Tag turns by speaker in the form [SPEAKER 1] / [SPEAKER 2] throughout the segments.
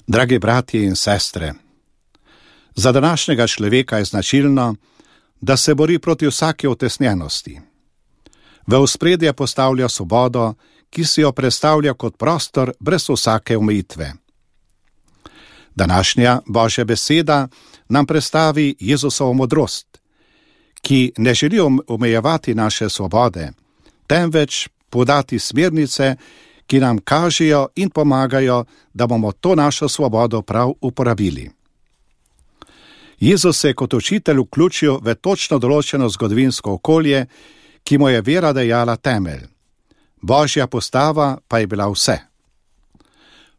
[SPEAKER 1] Dragi bratje in sestre, za današnjega človeka je značilno, da se bori proti vsaki utesnjenosti. V ospredje postavlja svobodo, ki si jo predstavlja kot prostor brez vsake omejitve. Današnja Božja beseda nam predstavi Jezusovo modrost, ki ne želi omejevati naše svobode, temveč podati smernice, ki nam kažejo in pomagajo, da bomo to našo svobodo prav uporabili. Jezus se je kot učitelj vključil v točno določeno zgodovinsko okolje, ki mu je vera dajala temelj. Božja postava pa je bila vse.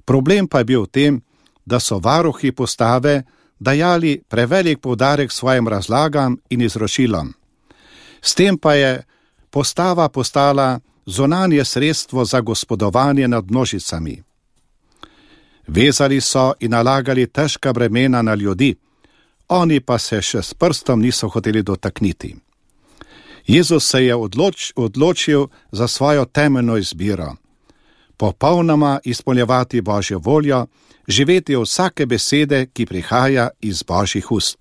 [SPEAKER 1] Problem pa je bil v tem, da so varuhi postave dajali prevelik poudarek svojim razlagam in izročilom. S tem pa je postava postala zunanje sredstvo za gospodovanje nad množicami. Vezali so in nalagali težka bremena na ljudi, oni pa se še s prstom niso hoteli dotakniti. Jezus se je odločil za svojo temeljno izbiro. Popolnoma izpolnjevati Božjo voljo, živeti od vsake besede, ki prihaja iz Božjih ust.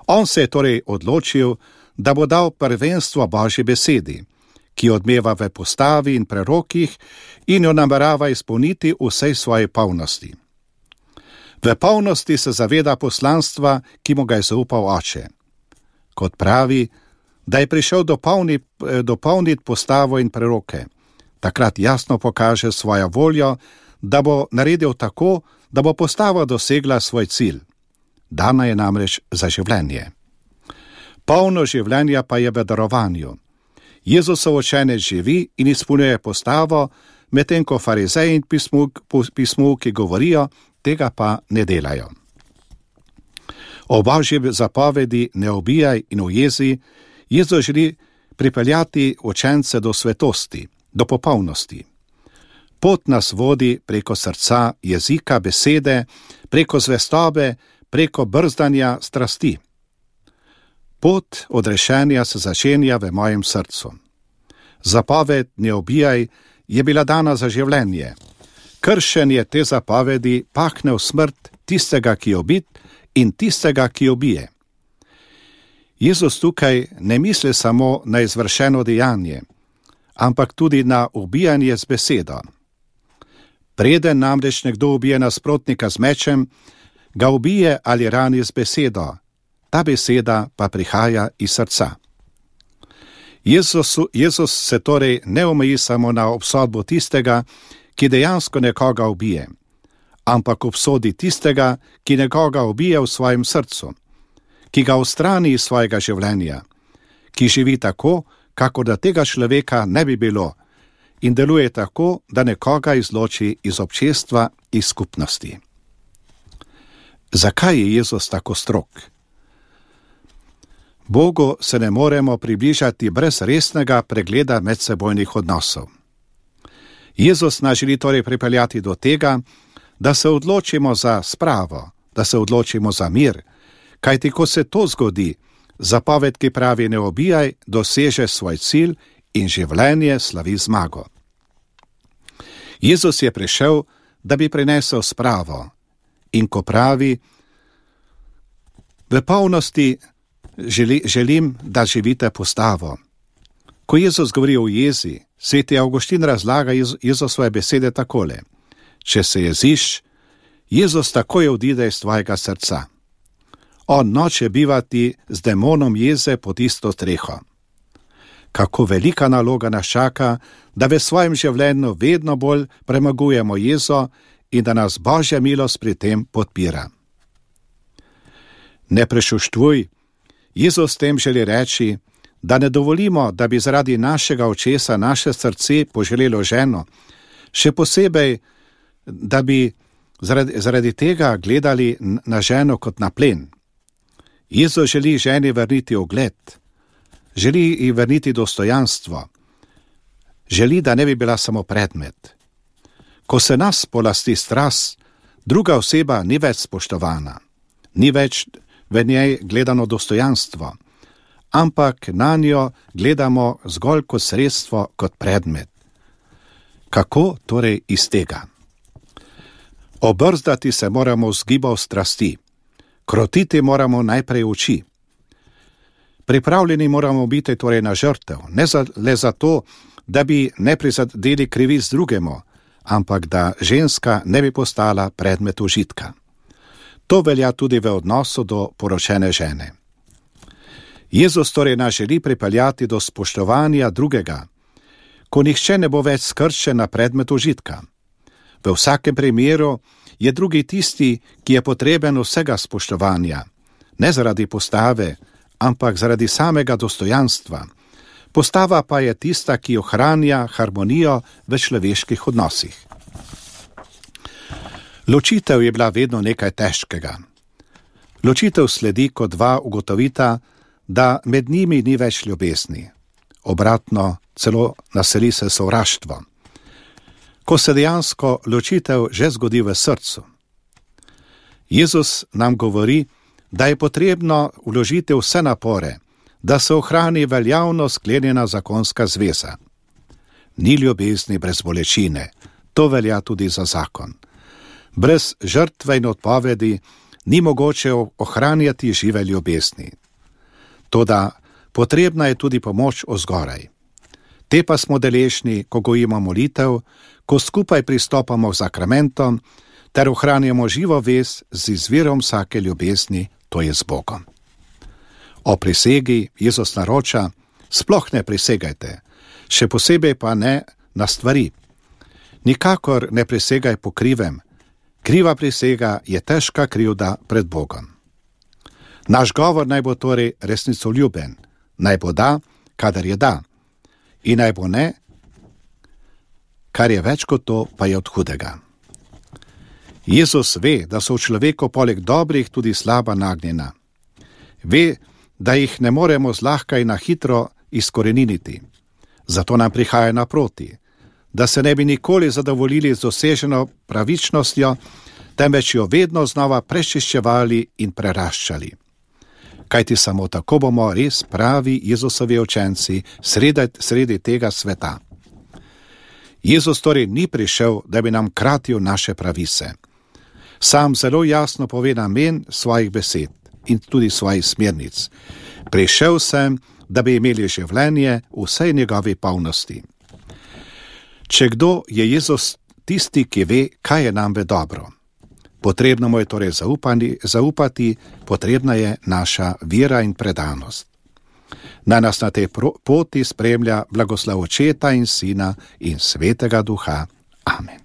[SPEAKER 1] On se je torej odločil, da bo dal prvenstvo Božji besedi, ki odmeva v postavi in prerokih in jo namerava izpolniti v vsej svoji polnosti. V polnosti se zaveda poslanstva, ki mu ga je zaupal Oče. Kot pravi, da je prišel dopolniti postavo in preroke, takrat jasno pokaže svojo voljo, da bo naredil tako, da bo postava dosegla svoj cilj. Dana je namreč za življenje. Polno življenja pa je v darovanju. Jezusov učenec živi in izpolnjuje postavo, medtem ko farizeji in pismuki govorijo, tega pa ne delajo. O Božji zapovedi ne ubijaj in ujezi, Jezus želi pripeljati učence do svetosti, do popolnosti. Pot nas vodi preko srca, jezika, besede, preko zvestobe, preko brzdanja strasti. Pot odrešenja se začenja v mojem srcu. Zapoved ne ubijaj je bila dana za življenje. Kršenje te zapovedi pahne v smrt tistega, ki je ubit, in tistega, ki ubije. Jezus tukaj ne misli samo na izvršeno dejanje, ampak tudi na ubijanje z besedo. Preden namreč nekdo ubije nasprotnika z mečem, ga ubije ali rani z besedo. Ta beseda pa prihaja iz srca. Jezus se torej ne omeji samo na obsodbo tistega, ki dejansko nekoga ubije, ampak obsodi tistega, ki nekoga ubije v svojem srcu, ki ga odstrani iz svojega življenja, ki živi tako, kakor da tega človeka ne bi bilo, in deluje tako, da nekoga izloči iz občestva, iz skupnosti. Zakaj je Jezus tako strog? Bogu se ne moremo približati brez resnega pregleda medsebojnih odnosov. Jezus nas želi torej pripeljati do tega, da se odločimo za spravo, da se odločimo za mir, kajti ko se to zgodi, zapoved, ki pravi ne ubijaj, doseže svoj cilj in življenje slavi zmago. Jezus je prišel, da bi prinesel spravo, in ko pravi, v polnosti želim, da živite postavo. Ko Jezus govori o jezi, sveti Avguštin razlaga Jezusove besede takole: če se jeziš, Jezus takoj odide iz tvojega srca. On noče bivati z demonom jeze pod isto streho. Kako velika naloga nas čaka, da v svojem življenju vedno bolj premagujemo jezo in da nas Božja milost pri tem podpira. Ne prešuštvuj, Jezus tem želi reči, da ne dovolimo, da bi zaradi našega očesa naše srce poželelo ženo, še posebej, da bi zaradi tega gledali na ženo kot na plen. Jezus želi ženi vrniti ugled, želi ji vrniti dostojanstvo, želi, da ne bi bila samo predmet. Ko se nas polasti strast, druga oseba ni več spoštovana, ni več v njej gledano dostojanstvo, ampak na njo gledamo zgolj kot sredstvo, kot predmet. Kako torej iz tega? Obrzdati se moramo z gibov strasti, krotiti moramo najprej oči. Pripravljeni moramo biti torej na žrtev, ne le zato, da bi ne prizadeli krivic drugemu, ampak da ženska ne bi postala predmet užitka. To velja tudi v odnosu do poročene žene. Jezus torej nas želi pripeljati do spoštovanja drugega, ko nihče ne bo več skrčen na predmet užitka. V vsakem primeru je drugi tisti, ki je potreben vsega spoštovanja, ne zaradi postave, ampak zaradi samega dostojanstva. Postava pa je tista, ki ohranja harmonijo v človeških odnosih. Ločitev je bila vedno nekaj težkega. Ločitev sledi, ko dva ugotovita, da med njimi ni več ljubezni. Obratno, celo naseli se sovraštvo. Ko se dejansko ločitev že zgodi v srcu. Jezus nam govori, da je potrebno vložiti vse napore, da se ohrani veljavno sklenjena zakonska zveza. Ni ljubezni brez bolečine, to velja tudi za zakon. Brez žrtve in odpovedi ni mogoče ohranjati žive ljubezni. Toda potrebna je tudi pomoč ozgoraj. Te pa smo deležni, ko gojimo molitev, ko skupaj pristopamo k sakramentom, ter ohranjamo živo vez z izvirom vsake ljubezni, to je z Bogom. O prisegi Jezus naroča, sploh ne prisegajte, še posebej pa ne na stvari. Nikakor ne prisegaj po krivem, kriva prisega je težka krivda pred Bogom. Naš govor naj bo torej resnicoljuben, naj bo da, kadar je da, in naj bo ne, kar je več kot to, pa je od hudega. Jezus ve, da so v človeku poleg dobrih tudi slaba nagnjena. Ve, da jih ne moremo zlahka in na hitro izkoreniniti. Zato nam prihaja naproti, da se ne bi nikoli zadovoljili z doseženo pravičnostjo, temveč jo vedno znova prečiščevali in preraščali. Kajti samo tako bomo res pravi Jezusovi učenci sredi tega sveta. Jezus torej ni prišel, da bi nam kratil naše pravice. Sam zelo jasno pove namen svojih besed in tudi svojih smernic. Prišel sem, da bi imeli življenje v vsej njegovi polnosti. Če kdo, je Jezus tisti, ki ve, kaj je nam v dobro. Potrebno mu je torej zaupati, potrebna je naša vera in predanost. Naj nas na tej poti spremlja blagoslov Očeta in Sina in Svetega Duha. Amen.